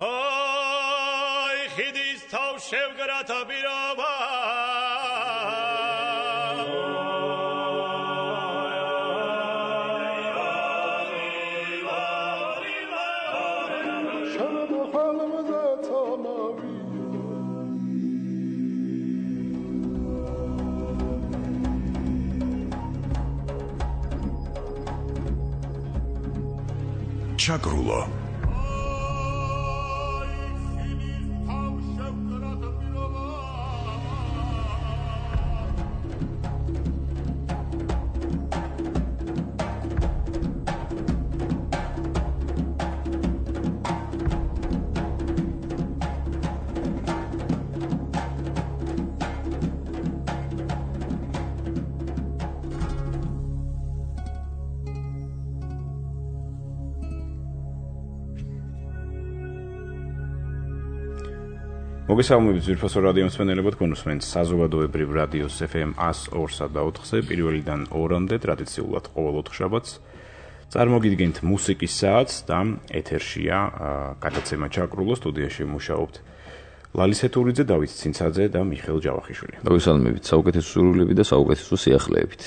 აი ხიდის თავ შევგრათა პირობა ჩაკრულო მოგესალმებით ძვირფასო რადიო მსმენელებო, თქვენ უსმენთ საზოგადოებრივ რადიოს FM 102-სა და 4-ზე, პირველიდან 2-მდე ტრადიციულად ყოველ ოთხშაბათს წარმოგიდგენთ მუსიკის საათს და ეთერშია გადაცემა ჩაკრულო, სტუდიაში მუშაობთ ლალის ეთურიძე, დავით ცინცაძე და მიხეილ ჯავახიშვილი. მოგესალმებით საუკეთესო სურვილებით და საუკეთესო სიახლეებით.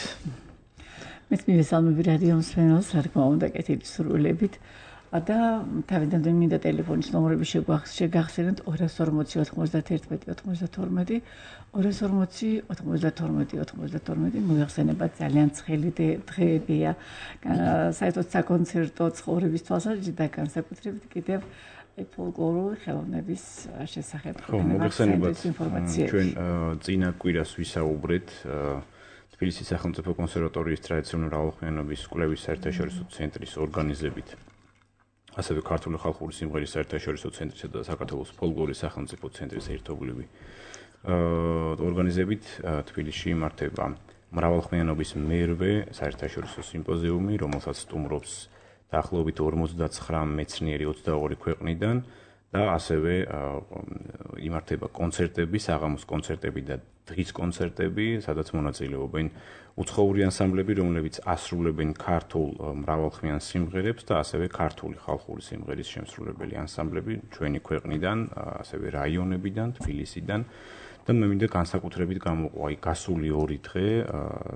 მეც მივესალმები რადიო მსმენელს, რა თქმა უნდა, კეთილი სურვილებით. და თავიდან მინდა ტელეფონის ნომრები შეგახსენოთ 240 91 92 240 92 92 მოიხსენება ძალიან ცხელი დღეებია საერთოდ საკონცერტო ცხოვრების თვალსაზრისით და განსაკუთრებით კიდევ ფოლკლორული ხელოვნების შესახებ მოგეხსენებათ ჩვენ წინა კვირას ვისაუბრეთ თბილისის სახელმწიფო კონსერვატორიის ტრადიციული მრავალხმიანობის კვლევის საერთაშორისო ცენტრის ორგანიზებით ასევე ქართული ხალხური სიმღერის საერთაშორისო ცენტრისა და საქართველოს ფოლკლორის სახელმწიფო ცენტრის ერთობლივი ორგანიზებით თბილისში იმართება მრავალხმიანობის მერვე საერთაშორისო სიმპოზიუმი, რომელსაც სტუმრობს დაახლოებით 59 მეცნიერი 22 ქვეყნიდან და ასევე იმართება კონცერტები, საღამოს კონცერტები და დღის კონცერტები, სადაც მონაწილეობენ უცხოური ანსამბლები, რომლებიც ასრულებენ ქართულ მრავალხმიან სიმღერებს და ასევე ქართული ხალხური სიმღერის შემსრულებელი ანსამბლები ჩვენი ქვეყნიდან, ასევე რაიონებიდან, თბილისიდან და მე მინდა განსაკუთრებით გამოყვა გასული 2 დღე,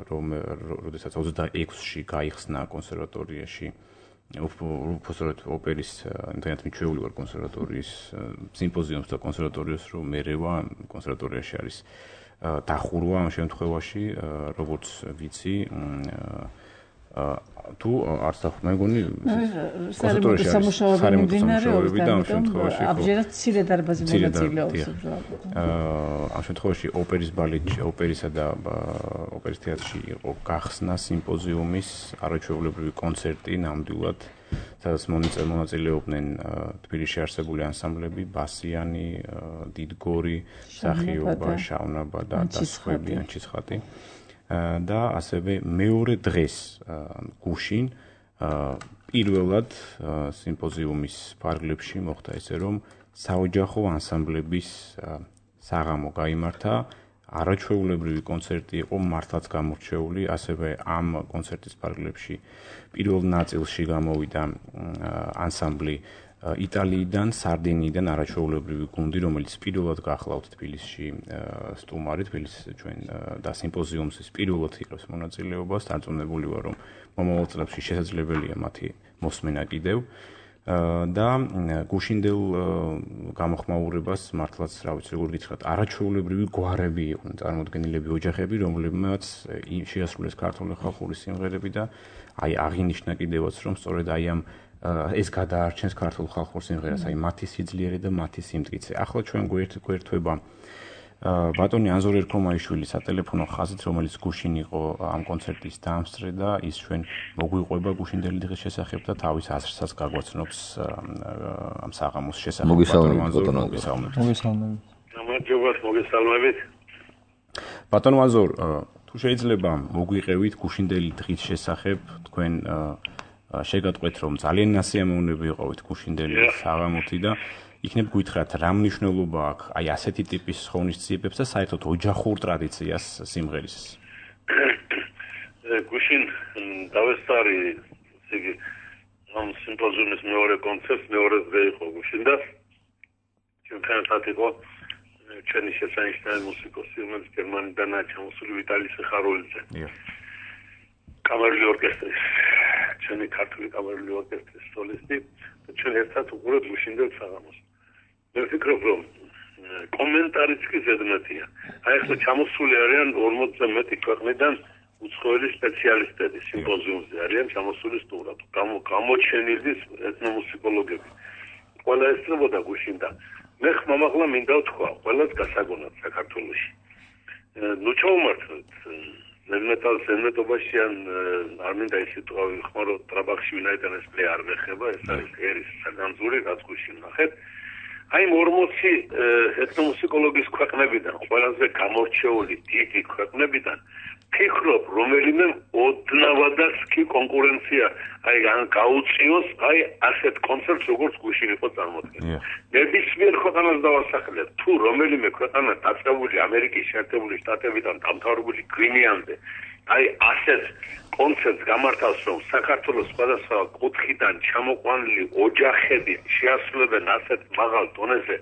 როდესაც 26-ში გაიხსნა კონსერვატორიაში უბრალოდ ოპერის ინტერნეტ მიჩვეული ვარ კონსერვატორიის სიმპოზიუმს და კონსერვატორიას რომ მერევა კონსერვატორიაში არის დახურვა ამ შემთხვევაში როგორც ვიცი თუ არც მე მგონი კონსერვატორიაში სამუშაოები და ამ შემთხვევაში აბჯერად მცირე დარბაზი მონაწილეობს ამ შემთხვევაში ოპერის ბალეტში ოპერისა და ოპერის თეატრში იყო გახსნა სიმპოზიუმის არაჩვეულებრივი კონცერტი ნამდვილად სადაც მონაწილეობდნენ თბილისში არსებული ანსამბლები ბასიანი, დიდგორი, სახიობა, შავნაბა და სხვები ანჩისხატი და ასევე მეორე დღეს გუშინ პირველად სიმპოზიუმის ფარგლებში მოხდა ესე რომ საოჯახო ანსამბლების საღამო გაიმართა არაჩვეულებრივი კონცერტი იყო მართლაც გამორჩეული ასევე ამ კონცერტის ფარგლებში პირველ ნაწილში გამოვიდა ანსამბლი იტალიიდან, სარდინიიდან არაჩვეულებრივი გუნდი, რომელიც პირველად გახლავთ თბილისში სტუმარი, თბილისის ჩვენ და სიმპოზიუმის პირველად იღებს მონაწილეობას, დარწმუნებული ვარ, რომ მომავალ წლებში შესაძლებელია მათი მოსმენა კიდევ და გუშინდელ გამოხმაურებას მართლაც რა ვიცი როგორ გითხრათ არაჩვეულებრივი გვარები იყვნენ წარმოდგენილები ოჯახები რომლებმაც შეასრულეს ქართული ხალხური სიმღერები და აი აღინიშნა კიდევაც რომ სწორედ აი ამ ეს გადაარჩენს ქართულ ხალხურ სიმღერას აი მათი სიძლიერე და მათი სიმტკიცე ახლა ჩვენ გვერდება ბატონი ანზორ ერქომაიშვილის სატელეფონო ხაზით რომელიც გუშინ იყო ამ კონცერტის დამსწრე და ის ჩვენ მოგვიყვება გუშინდელი დღის შესახებ და თავის აზრსაც გაგვაცნობს ამ საღამოს შესახებ მოგესალმებით ბატონო ანზორ თუ შეიძლება მოგვიყევით გუშინდელი დღის შესახებ თქვენ შეგატყვეთ რომ ძალიან ნასიამოვნები იყავით გუშინდელი საღამოთი და იქნებ გითხრათ რა მნიშვნელობა აქვს აი ასეთი ტიპის ღონისძიებებს და საერთოდ ოჯახურ ტრადიციას სიმღერის გუშინ დავესწარი ისე ამ სიმპოზიუმის მეორე კონცერტს მეორე დღე იყო გუშინ და ერთად იყო ჩვენი შესანიშნავი მუსიკოსი, რომელიც გერმანიდანაა ჩამოსული ვიტალი სიხარულიძე. კამერული ორკესტრის, ჩვენი ქართული კამერული ორკესტრის სოლისტი და ჩვენ ერთად უყურებთ გუშინდელ საღამოს. მე ვფიქრობ, რომ კომენტარიც კი ზედმეტია. აი ახლა ჩამოსული არიან 40-ზე მეტი ქვეყნიდან უცხოელი სპეციალისტები სიმპოზიუმზე არიან ჩამოსული სტუმრად. გამოჩენილი ეთნომუსიკოლოგები. ყველა ესწრებოდა გუშინდა. მე ხმამაღლა მინდა ვთქვა, ყველას გასაგონად საქართველოში. ნუ ჩავმართლეთ ზედმეტობაში ან არ მინდა ის სიტყვა ვიხმარო, ტრაბახში ვინაიდან ეს პლე არ მეხება, ეს არის ერის საგანძური, რაც გუშინ ნახეთ. აი 40 ეთნომუსიკოლოგის ქვეყნებიდან, ყველაზე გამორჩეული დიდი ქვეყნებიდან ფიქრობ, რომელიმე ოდნავადაც კი კონკურენცია აი გაუწიოს აი ასეთ კონცერტს როგორც გუშინ იყო წარმოდგენილი. ნებისმიერ ქვეყანას დავასახელებ, თუ რომელიმე ქვეყანა დაწყებული ამერიკის შეერთებული შტატებიდან დამთავრებული გვინეამდე აი ასეთ კონცერტს გამართავს, რომ საქართველოს სხვადასხვა კუთხიდან ჩამოყვანილი ოჯახები შეასრულებენ ასეთ მაღალ დონეზე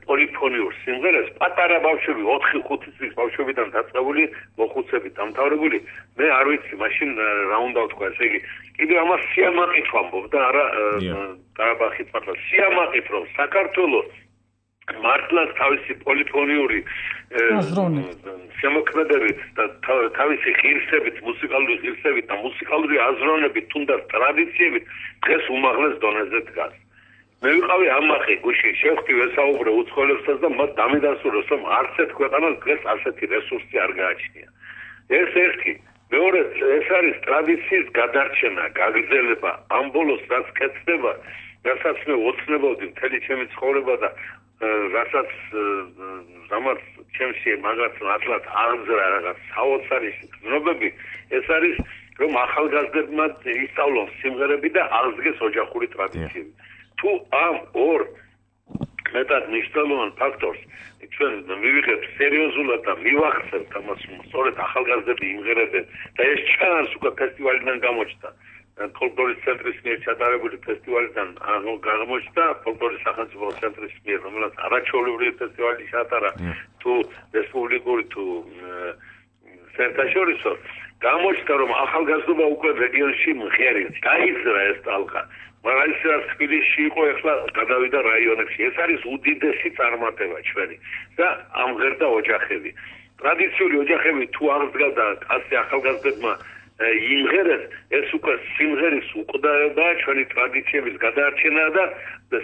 პოლიფონიურ სიმღერას, პატარა ბავშვები 4-5 წლის ბავშვებიდან დაწყებული მოხუცებით დამთავრებული, მე არ ვიცი მაშინ რა უნდა ვთქვა, ესე იგი კიდევ ამას სიამაყით ვამბობ და არა ყარაბაღით მართლა სიამაყით, რომ საქართველოს მართლაც თავისი პოლიფონიური შემოქმედებით და თავისი ღირსებით, მუსიკალური ღირსებით და მუსიკალური აზროვნებით, თუნდაც ტრადიციებით დღეს უმაღლეს დონეზე დგას. მე ვიყავი ამაყი გუშინ შევხვდი ვესაუბრე უცხოელებსაც და მათ დამიდასტურეს, რომ არც ერთ ქვეყანას დღეს ასეთი რესურსი არ გააჩნია. ეს ერთი. მეორედ, ეს არის ტრადიციის გადარჩენა, გაგრძელება, ამ ბოლოს რაც კეთდება, რასაც მე ოცნებობდი მთელი ჩემი ცხოვრება და რასაც რამაც ჩემში მაგაც მართლაც აღძრა რაღაც საოცარი გზნობები, ეს არის რომ ახალგაზრდებმა ისწავლონ სიმღერები და აღზრდეს ოჯახური ტრადიციები. თუ ამ ორ მეტად მნიშვნელოვან ფაქტორს ჩვენ მივიღებთ სერიოზულად და მივახცევთ ამას, სწორედ ახალგაზრდები იმღერებენ და ეს ჩანს უკვე ფესტივალიდან გამოჩნდა. ფოლკლორის ცენტრის მიერ ჩატარებული ფესტივალიდან გამოჩნდა ფოლკლორის სახელმწიფო ცენტრის მიერ, რომელიც არაჩვეულებრივი ფესტივალი ჩატარა თუ რესპუბლიკური თუ საერთაშორისო, გამოჩნდა რომ ახალგაზრდობა უკვე რეგიონში მღერებს, დაიძრა ეს ტალღა. მაგრამ ის რაც თბილისში იყო, ახლა გადავიდა რაიონებში. ეს არის უდიდესი წარმატება ჩვენი და ამღერდა ოჯახები. ტრადიციული ოჯახები თუ აღდგა და ასე ახალგაზრდებმა იმღერეს, ეს უკვე სიმღერის უკვდავება, ჩვენი ტრადიციების გადაარჩენა და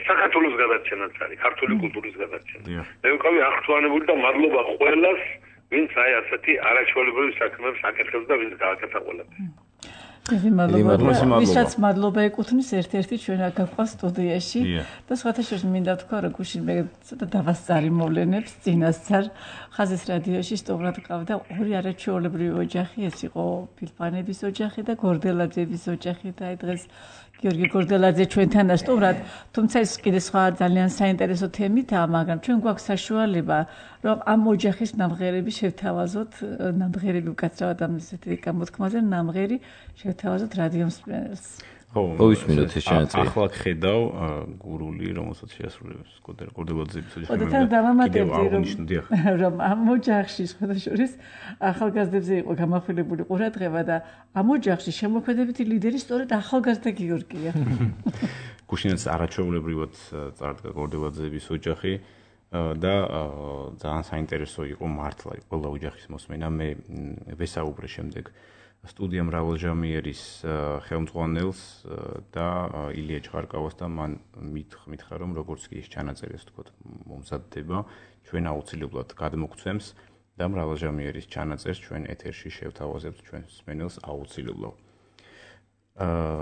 საქართველოს გადარჩენაც არის, ქართული კულტურის გადარჩენა. მე ვიყავი აღთვალებული და მადლობა ყველას, ვინც აი ასეთი არაჩვეულებრივი საქმეებს აკეთებს და ვინც გააკეთა ყველაფერს. ვისაც მადლობა ეკუთვნის ერთ-ერთი ჩვენ აქ გვყავს სტუდიაში და სხვათა შორის მინდა თქვა, რომ გუშინ მე ცოტა დავასწარი მოვლენებს წინასწარ ხაზის რადიოში სტუმრად ყავდა ორი არაჩვეულებრივი ოჯახი, ეს იყო ფილფანების ოჯახი და გორდელაძეების ოჯახი და აი დღეს გიორგი გორდელაძე ჩვენთანაა სტუმრად, თუმცა ეს კიდე სხვა ძალიან საინტერესო თემითაა, მაგრამ ჩვენ გვაქვს საშუალება, რომ ამ ოჯახის ნამღერები შევთავაზოთ, ნამღერები უკაცრავად ამ ესეთი გამოთქმაზე, ნამღერი შევთავაზოთ რადიო მსმენელს. ხო, ისმინოთ ეს ჩანაწერი. ახლა ხედავ გურული, რომელსაც შეასრულებს გორდელაძეების ოჯახი. და დავამატებდი, რომ ამ ოჯახში სხვათა შორის ახალგაზრდებზე იყო გამახვილებული ყურადღება და ამ ოჯახში შემოქმედებითი ლიდერი სწორედ ახალგაზრდა გიორგია. გუშინაც არაჩვეულებრივად წარდგა გორდელაძეების ოჯახი და ძალიან საინტერესო იყო მართლა ყველა ოჯახის მოსმენა. მე ვესაუბრე შემდეგ სტუდია მრავალჟამიერის ხელმძღვანელს და ილია ჩხარკავას და მან მითხრა, რომ როგორც კი ეს ჩანაწერი, ასე ვთქვათ, მომზადდება, ჩვენ აუცილებლად გადმოგცემს და მრავალჟამიერის ჩანაწერს ჩვენ ეთერში შევთავაზებთ ჩვენს მსმენელს აუცილებლად.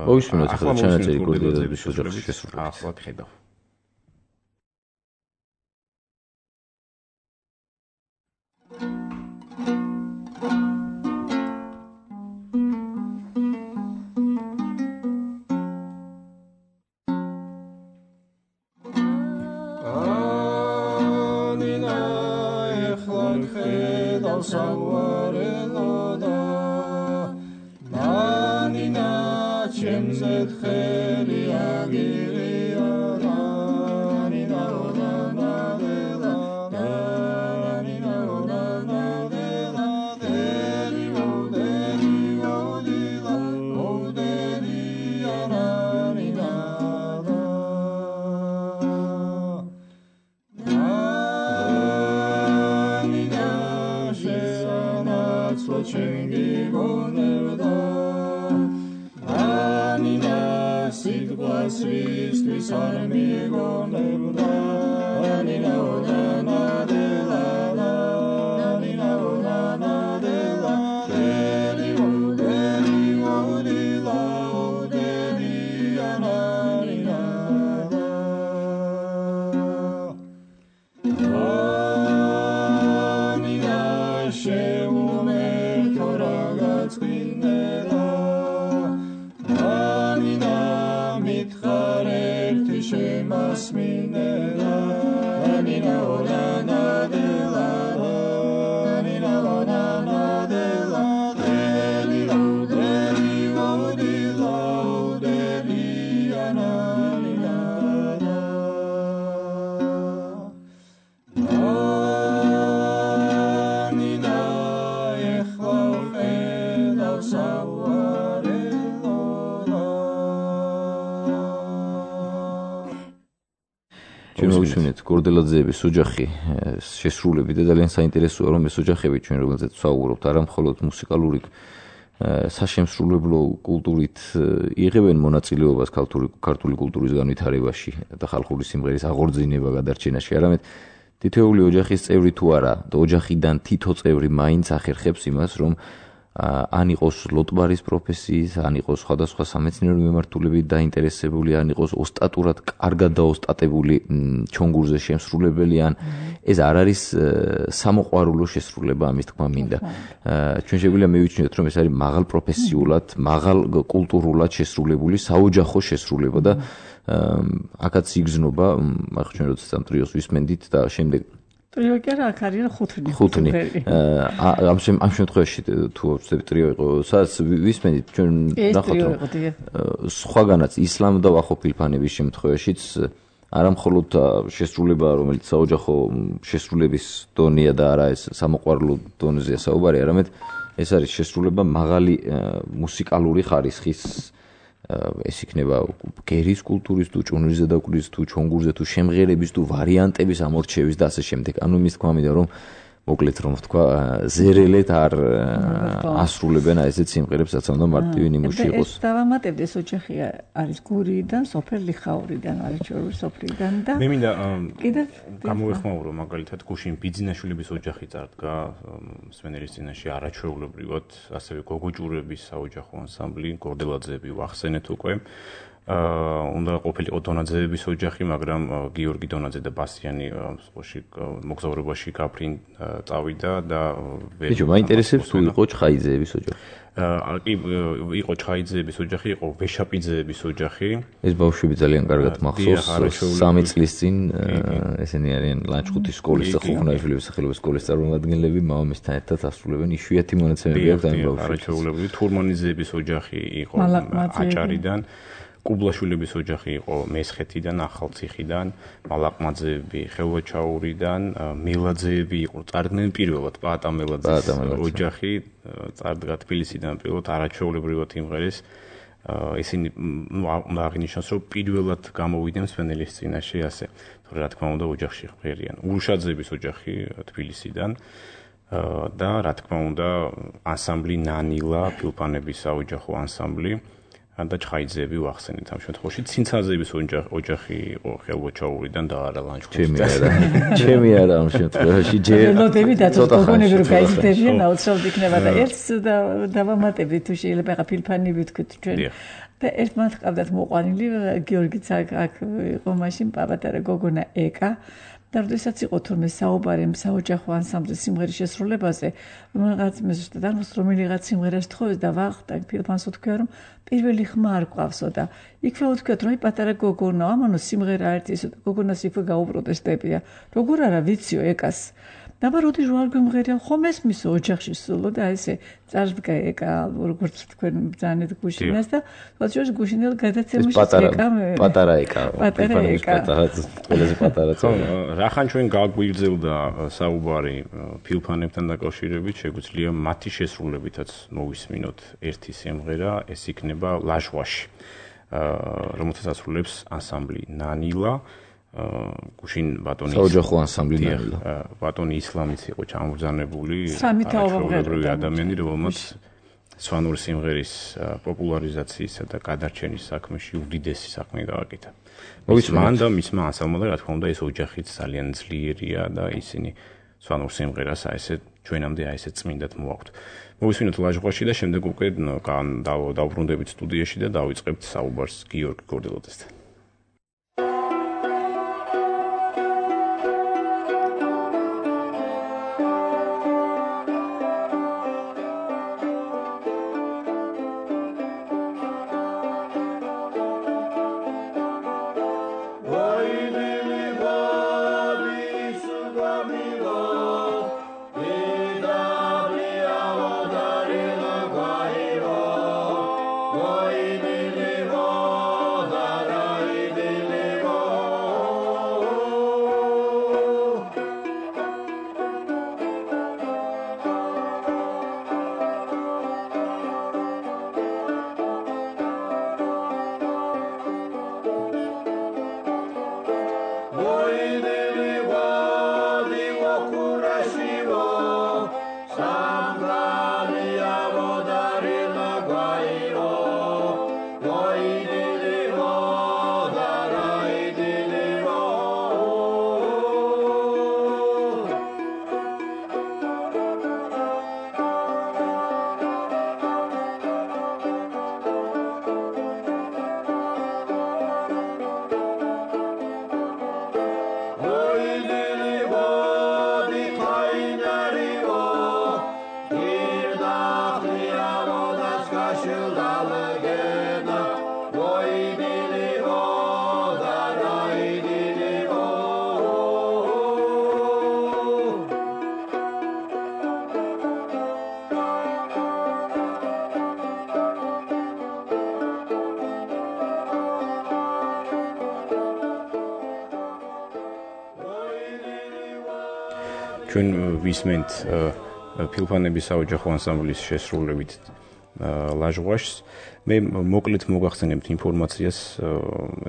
მოისმინოთ ახლა ჩანაწერი გორდელაძეების ოჯახის შესრულებით. ახლა ხედავ. Chemzet kheri agiri arani da გორდელაძეების ოჯახი შესრულები და ძალიან საინტერესოა რომ ეს ოჯახები ჩვენ რომელზეც ვსაუბრობთ არა მხოლოდ მუსიკალური საშემსრულებლო კულტურით იღებენ მონაწილეობას ქართული კულტურის განვითარებაში და ხალხური სიმღერის აღორძინება გადარჩენაში, არამედ თითოეული ოჯახის წევრი თუ არა და ოჯახიდან თითო წევრი მაინც ახერხებს იმას, რომ ან იყოს ლოტბარის პროფესიის, ან იყოს სხვადასხვა სამეცნიერო მიმართულებით დაინტერესებული, ან იყოს ოსტატურად კარგად დაოსტატებული ჩონგურზე შემსრულებელი, ან ეს არ არის სამოყვარულო შესრულება, ამის თქმა მინდა. ჩვენ შეგვიძლია მივიჩნიოთ, რომ ეს არის მაღალ პროფესიულად, მაღალ კულტურულად შესრულებული საოჯახო შესრულება და აქაც იგრძნობა, ახლა ჩვენ როდესაც ამ ტრიოს ვისმენდით და შემდეგ ტრიო კი არა, აქ არის ხუთნი. ამ შემთხვევაში თუ ვწდები ტრიო იყო, სადაც ვისმენდით ჩვენ ნახოთ რომ სხვაგანაც ისლამ და ვახო ფილფანების შემთხვევაშიც არა მხოლოდ შესრულება, რომელიც საოჯახო შესრულების დონეა და არა ეს სამოყვარულო დონეზეა საუბარი, არამედ ეს არის შესრულება მაღალი მუსიკალური ხარისხის ეს იქნება გერის კულტურის თუ ჭუნურის ზედაპირის თუ ჩონგურზე თუ შემღერების თუ ვარიანტების ამორჩევის და ასე შემდეგ. ანუ იმის თქმა მინდა რომ მოკლედ რომ ვთქვა ზერელეთ არ ასრულებენ ესეთ სიმღერებს, რაც უნდა მარტივი ნიმუში იყოს. ეს დავამატებდი, ეს ოჯახი არის გურიიდან, სოფელ ლიხაურიდან, არაჩვეულის სოფლიდან და მე მინდა გამოვეხმაურო მაგალითად გუშინ ბიძინაშვილების ოჯახი წარდგა მსმენელის წინაშე არაჩვეულებრივად, ასევე გოგოჭურების საოჯახო ანსამბლი, გორდელაძეები ვახსენეთ უკვე. უნდა ყოფილიყო დონაძეების ოჯახი, მაგრამ გიორგი დონაძე და ბასიანი მოგზაურობაში გაფრინ წავიდა და ბიჭო, მაინტერესებს თუ იყო ჩხაიძეების ოჯახი. კი, იყო ჩხაიძეების ოჯახი, იყო ვეშაპიძეების ოჯახი. ეს ბავშვები ძალიან კარგად მახსოვს. 3 წლის წინ ესენი არიან ლანჩხუთის სკოლის და ხუხნაიშვილების სახელობის სკოლის წარმომადგენლები მამამისთან ერთად ასრულებენ. იშვიათი მონაცემები აქვს ამ ბავშვებს. არაჩვეულებრივი თურმანიძეების ოჯახი იყო აჭარიდან. კუბლაშვილების ოჯახი იყო მესხეთიდან, ახალციხიდან, მალაყმაძეები ხელვაჩაურიდან, მელაძეები იყო წარდგნენ პირველად პაატა მელაძის ოჯახი წარდგა თბილისიდან პირველად არაჩვეულებრივად იმღერეს. ისინი უნდა აღინიშნოს, რომ პირველად გამოვიდნენ მსმენელის წინაშე ასე. თორე რა თქმა უნდა ოჯახში ღმერთიან. ურუშაძეების ოჯახი თბილისიდან და რა თქმა უნდა ანსამბლი ნანილა, ფილფანების საოჯახო ანსამბლი. და ჩხაიძეები ვახსენეთ ამ შემთხვევაში. ცინცაძეების ოჯახი იყო ხელვაჩაურიდან და არა ლანჩხუთიდან. ჩემი არა ამ შემთხვევაში ჯერ ნოტები და თვითონები რო გაიზრდებიან, აუცილებლად იქნება და ერთს დავამატები თუ შეიძლება ხა ფილფანები ვთქვით ჩვენ. და ერთმანეთ ყავდათ მოყვანილი, გიორგიც აქ იყო მაშინ პაპატარა გოგონა ეკა. და როდესაც იყო თურმე საუბარი საოჯახო ანსამბლის სიმღერის შესრულებაზე, რომელიღაც მე ზუსტად არ მოსწრ რომელიღაც სიმღერას თხოვეს და ვახტა ფილფანს უთქვია რომ პირველი ხმა არ გვყავსო და იქვე უთქვიათ რომ პატარა გოგონა, ამანო სიმღერა ერთი ისო და გოგონას იქვე გაუპროტესტებია. როგორ არა ვიციო ეკას. დაბა როდი რო არ გვიმღერია, ხომ ესმისო ოჯახში სულო და ესე წარდგა ეკა, როგორც თქვენ ბრძანეთ გუშინას და თვითონ გუშინელ გადაცემაში ეკა პატარა ეკა. ყველაზე პატარა წონა. რახან ჩვენ გაგვიგრძელდა საუბარი ფილფანებთან დაკავშირებით, შეგვიძლია მათი შესრულებითაც მოვისმინოთ ერთი სიმღერა, ეს იქნება ლაჟვაში, რომელსაც ასრულებს ანსამბლი ნანილა. გუშინ ბატონი საოჯახო ანსამბლი ნანილა. ბატონი ისლამიც იყო ჩამბრძანებული, სამი თაობა ადამიანი, რომელმაც სვანური სიმღერის პოპულარიზაციისა და გადარჩენის საქმეში უდიდესი საქმე გააკეთა. მოვისმენ და მისმა ანსამბლმა რა თქმა უნდა ეს ოჯახიც ძალიან ძლიერია და ისინი სვანურ სიმღერას ესე ჩვენამდე ესე წმინდად მოაქვთ. მოვისმინოთ ლაჟღვაში და შემდეგ უკვე დავბრუნდებით სტუდიაში და დავიწყებთ საუბარს გიორგი გორდელაძესთან. ჩვენ ვისმენთ ფილფანების საოჯახო ანსამბლის შესრულებით ლაჟღვაშს. მე მოკლედ მოგახსენებთ ინფორმაციას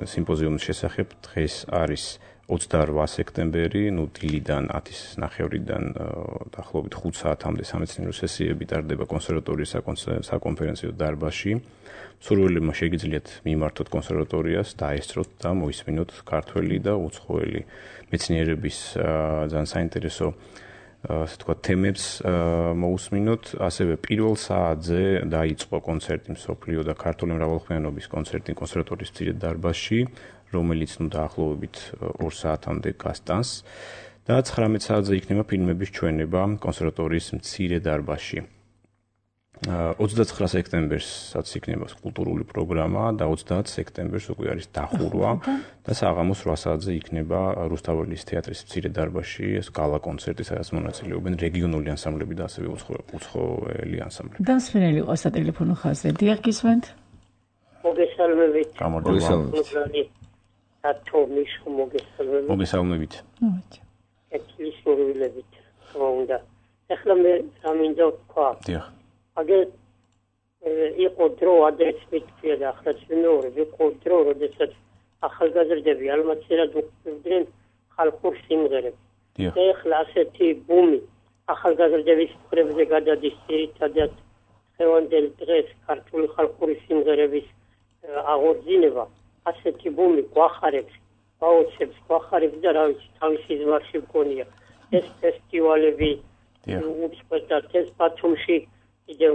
სიმპოზიუმის შესახებ. დღეს არის 28 სექტემბერი, დილიდან 10:30-დან დაახლოებით 5 საათამდე სამეცნიერო სესიები ტარდება კონსერვატორიის საკონფერენციო დარბაზში. მსურველებმა შეგიძლიათ მიმართოთ კონსერვატორიას, დაესწროთ და მოისმინოთ ქართველი და უცხოელი მეცნიერების ძალიან საინტერესო ასე თქვა თემებს მოусმინოთ. ასევე პირველ საათზე დაიწყო კონცერტი მსოფლიო და ქართული მრავალხმიანობის კონცერტი კონსერვატორიის მცირე დარბაზში, რომელიც დაახლოებით 2 საათამდე გასტანს და 19 საათზე იქნება ფილმების ჩვენება კონსერვატორიის მცირე დარბაზში. 29 სექტემბერსაც იქნება კულტურული პროგრამა და 30 სექტემბერს უკვე არის დახურვა და საღამოს 8 საათზე იქნება რუსთაველის თეატრის მცირე დარბაზში ეს გალა კონცერტი, სადაც მონაწილეობენ რეგიონული ანსამბლები და ასევე უცხოელი ანსამბლები. დამსვენელი ყო სატელეფონო ხაზზე. დიახ, გისმენთ? მოგესალმებით. გამარჯობა. ათომის მოგესალმებით. მოგესალმებით. ეთლის მოგვილებით. უნდა. ახლა მე რამინდა ვთქვა. დიახ. აგერ იყო დრო ადრესმიტია და ახლა ცნობილი იყო დრო, როდესაც ახალგაზრდები ალმაცერად უყურებდნენ ხალხურ სიმღერებს. ახლა ასეთი ბუმი ახალგაზრდების მხრებზე გადადის ძირითადად ხევანდელ დღეს ქართული ხალხური სიმღერების აღორძინება. ასეთი ბუმი გვახარებს, გაოცებს, გვახარებს და რა ვიცი, თავისი ზმარში მქონია ეს ფესტივალები უწყვეტად ეს ბათუმში კიდევ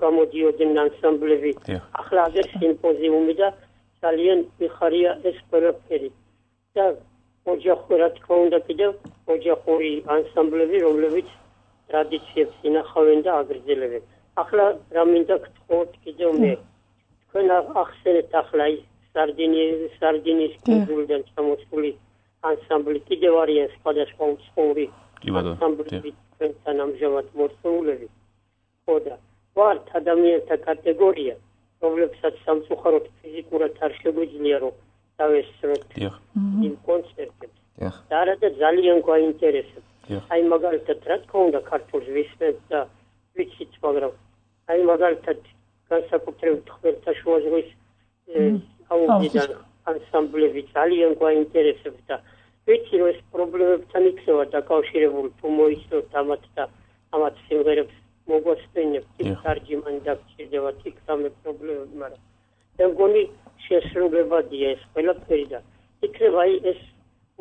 გამოდიოდნენ ანსამბლები. ახლა აგერ სიმპოზიუმი და ძალიან მიხარია ეს ყველაფერი. და ოჯახური რა თქმა უნდა კიდევ ოჯახური ანსამბლები, რომლებიც ტრადიციებს ინახავენ და აგრძელებენ. ახლა რა მინდა გთხოვოთ კიდევ მე. თქვენ ახსენეთ ახლა ის სარდინის კუნძულიდან ჩამოსული ანსამბლი კიდევ არიან სხვადასხვა უცხოური ანსამბლები თქვენთან ამჟამად მოსულები. ხოდა ვართ ადამიანთა კატეგორია, რომლებსაც სამწუხაროდ ფიზიკურად არ შეგვიძლია რომ დავესწროთ იმ კონცერტებს. და არადა ძალიან გვაინტერესებს. აი მაგალითად რა თქმა უნდა ქართულს ვისმენთ და ვიცით, მაგრამ აი მაგალითად განსაკუთრებით ხმელთაშუა ზღვის აუდიდან ანსამბლები ძალიან გვაინტერესებს და ვიცი რომ ეს პრობლემებთან იქნება დაკავშირებული თუ მოიცნოთ ამათ და ამათ სიმღერებს მოგვასწინებთ თარჯიმანი დაგჭირდება იქ სამე პრობლემები, მაგრამ მე მგონი შესრულებადია ეს ყველაფერი და იქნება ეს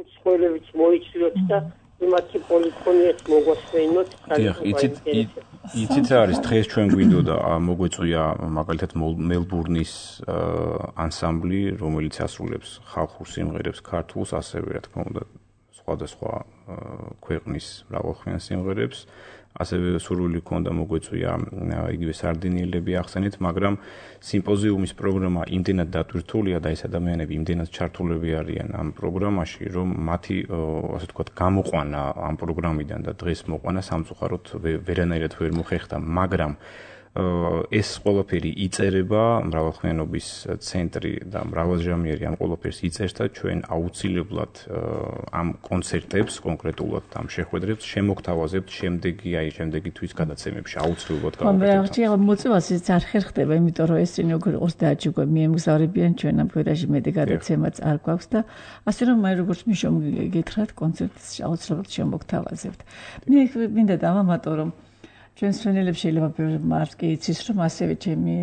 უცხოელებიც მოიცვიოთ და იმათი პოლიფონიაც მოგვასწინოთ. იცით რა არის დღეს ჩვენ გვინდოდა მოგვეწვია მაგალითად მელბურნის ანსამბლი, რომელიც ასრულებს ხალხურ სიმღერებს ქართულს, ასევე რა თქმა უნდა სხვადასხვა ქვეყნის მრავალხმიან სიმღერებს, ასევე სურვილი ჰქონდა მოგვეწვია იგივე სარდინიელები ახსენით, მაგრამ სიმპოზიუმის პროგრამა იმდენად დატვირთულია და ეს ადამიანები იმდენად ჩართულები არიან ამ პროგრამაში, რომ მათი ასე ვთქვათ გამოყვანა ამ პროგრამიდან და დღეს მოყვანა სამწუხაროდ ვერანაირად ვერ მოხერხდა, მაგრამ ეს ყველაფერი იწერება, მრავალხმიანობის ცენტრი და მრავალჟამიერი ამ ყველაფერს იწერს და ჩვენ აუცილებლად ამ კონცერტებს, კონკრეტულად ამ შეხვედრებს შემოგთავაზებთ შემდეგი თვის გადაცემებში აუცილებლად გავაკეთებთ. მოწვევას ის არ ხერხდება, იმიტომ რომ ესენი უკვე 30 უკვე მიემგზავრებიან ჩვენ ამ ფერაში მეტი გადაცემაც არ გვაქვს და ასე რომ მე როგორც მიშომ გითხრათ კონცერტს აუცილებლად შემოგთავაზებთ. მე მინდა დავამატო რომ ჩვენს ფრენელებს შეიძლება მარკი იცის რომ ასევე ჩემი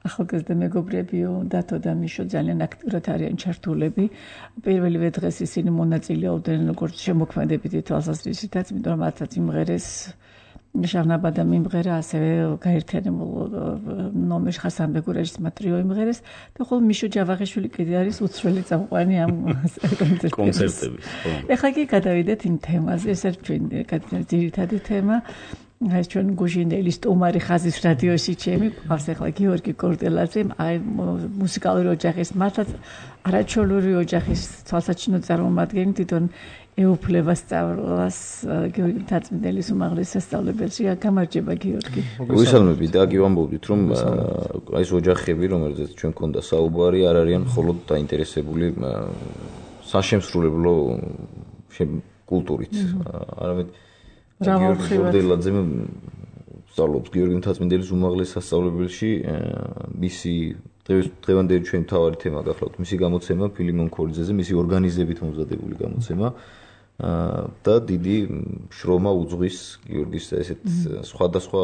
ახალგაზრდა მეგობრები დათო და მიშო ძალიან აქტიურად არიან ჩართულები. პირველივე დღეს ისინი მონაწილეობდნენ როგორც შემოქმედებითი თვალსაზრისითაც, იმიტომ რომ მათაც იმღერეს ჟავნაბადა მიმღერა, ასევე გაერთიანებულ ნომერში ხასანბეგურაჟის მატრიო იმღერეს და ხოლო მიშო ჯავაღიშვილი კიდე არის უცვლელი წამყვანი ამ კონცერტების. ეხლა კი გადავიდეთ იმ თემაზე, ეს არის ჩვენი ძირითადი თემა. ეს ჩვენ გუჟინელის სტუმარი ხაზის რადიოში ჩემი ყავს ახლა გიორგი კორტელაძე, აი მუსიკალური ოჯახის მართლაც არაჩვეულებრივი ოჯახის თვალსაჩინო წარმომადგენელი, თვითონ ეუფლება სწავლას გიორგი მთაწმიდელის უმაღლეს სასწავლებელში. გამარჯობა გიორგი. მოგესალმებით და გივამბობდით რომ ეს ოჯახები, რომელზეც ჩვენ გქონდა საუბარი, არ არიან მხოლოდ დაინტერესებული საშემსრულებლო კულტურით, არამედ გიორგი კორტელაძე სწავლობს გიორგი მთაწმიდელის უმაღლეს სასწავლებელში, მისი დღევანდელი ჩვენი მთავარი თემა გახლავთ მისი გამოცემა ფილიმონ ქორიძეზე, მისი ორგანიზებით მომზადებული გამოცემა და დიდი შრომა უძღვის გიორგის ესეთ სხვადასხვა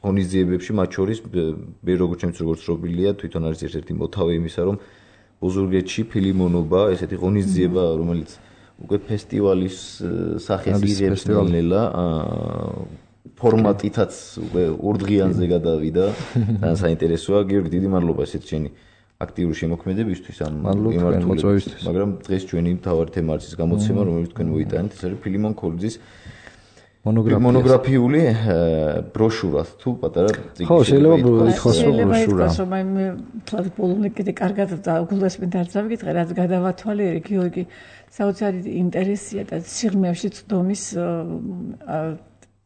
ღონისძიებებში, მათ შორის როგორც ცნობილია, თვითონ არის ერთ-ერთი მოთავე იმისა, რომ ოზურგეთში ფილიმონობა, ესეთი ღონისძიება, რომელიც უკვე ფესტივალის სახეს იღებს ნელ-ნელა, ფორმატითაც უკვე ორდღიანზე გადავიდა. ძალიან საინტერესოა. გიორგი, დიდი მადლობა ესეთ შენი აქტიური შემოქმედებისთვის ამ მიმართულებისთვის. მაგრამ დღეს ჩვენი მთავარი თემა არის ის გამოცემა, რომელიც თქვენ მოიტანეთ, ეს არის ფილიმონ ქორიძის მონოგრაფიული ბროშურა თუ პატარა წიგნი. ხო, შეიძლება ითქვას რომ ბროშურა. მე თვითონ პოლონიკ კიდე კარგად გულდასმენ დარწავით, რაც გადავათვალიერე გიორგი საოცარი ინტერესია და სიღრმეში წდომის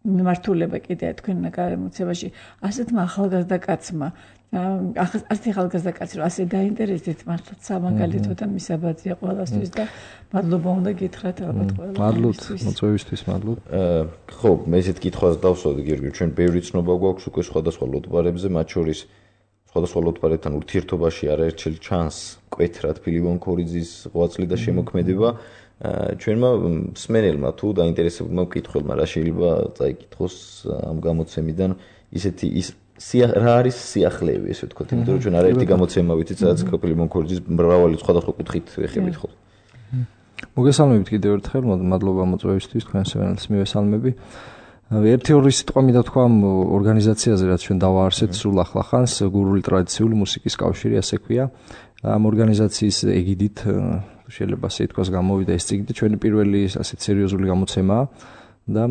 მიმართულება კიდე თქვენ გამოცემაში ასეთმა ახალგაზრდა კაცმა ასეთი ახალგაზრდა კაცი რომ ასე დაინტერესდით მართლაც სამაგალითო და მისაბაძია ყველასთვის და მადლობა უნდა გითხრათ ალბათ ყველასთვის. მადლობთ მოწვევისთვის, მადლობთ. ხო, მე ესეთ კითხვას დავსვავდი გიორგი, ჩვენ ბევრი ცნობა გვაქვს უკვე სხვადასხვა ლოტბარებზე, მათ შორის სხვადასხვა ლოტბარებთან ურთიერთობაში არაერთხელ ჩანს მკვეთრად ფილიმონ ქორიძის ღვაწლი და შემოქმედება. ჩვენმა მსმენელმა თუ დაინტერესებულმა მკითხველმა რა შეიძლება წაიკითხოს ამ გამოცემიდან ისეთი რა არის სიახლეები, ესე ვთქვათ, იმიტომ რომ ჩვენ არაერთი გამოცემა ვიცით, სადაც ფილიმონ ქორიძის მრავალი სხვადასხვა კუთხით ვეხებით ხოლმე. მოგესალმებით კიდევ ერთხელ, მადლობა მოწვევისთვის, თქვენს სვენელს მივესალმები. ერთი-ორი სიტყვა მინდა თქვა ორგანიზაციაზე, რაც ჩვენ დავაარსეთ სულ ახლახანს, გურული ტრადიციული მუსიკის კავშირი, ასე ქვია. ამ ორგანიზაციის ეგიდით შეიძლება ასე ითქვას გამოვიდა ეს წიგნი, ჩვენი პირველი ასეთ სერიოზული გამოცემაა და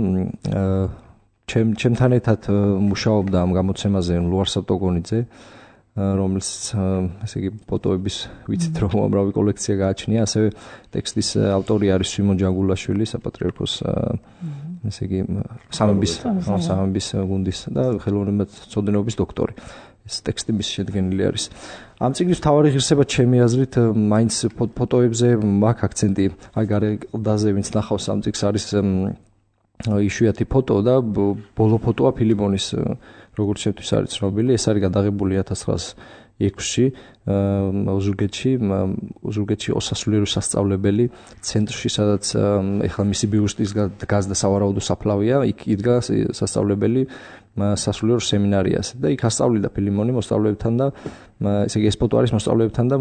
ჩემთან ერთად მუშაობდა ამ გამოცემაზე ლუარსაბ ტოგონიძე, რომელიც ესე იგი ფოტოების ვიცით რომ უამრავი კოლექცია გააჩნია, ასევე ტექსტის ავტორი არის სიმონ ჯანგულაშვილი, საპატრიარქოს ესე იგი სამების გუნდის და ხელოვნებაცოდნეობის დოქტორი. ეს ტექსტი მის შედგენილი არის. ამ წიგნის მთავარი ღირსება ჩემი აზრით მაინც ფოტოებზე მაქვს აქცენტი, აი გარე კლდაზე ვინც ნახავს ამ წიგნს არის იშვიათი ფოტო და ბოლო ფოტოა ფილიმონის, როგორც შემთთვის არის ცნობილი, ეს არის გადაღებული 6-ში ოზურგეთში ოსასულიერო სასწავლებელი ცენტრში, სადაც ეხლა მისი ბიუსტის დგას და სავარაუდო საფლავია, იქ იდგა სასწავლებელი სასულიერო სემინარიას და იქ ასწავლიდა ფილიმონი მოსწავლეებთან და ესე იგი ეს ფოტო არის მოსწავლეებთან და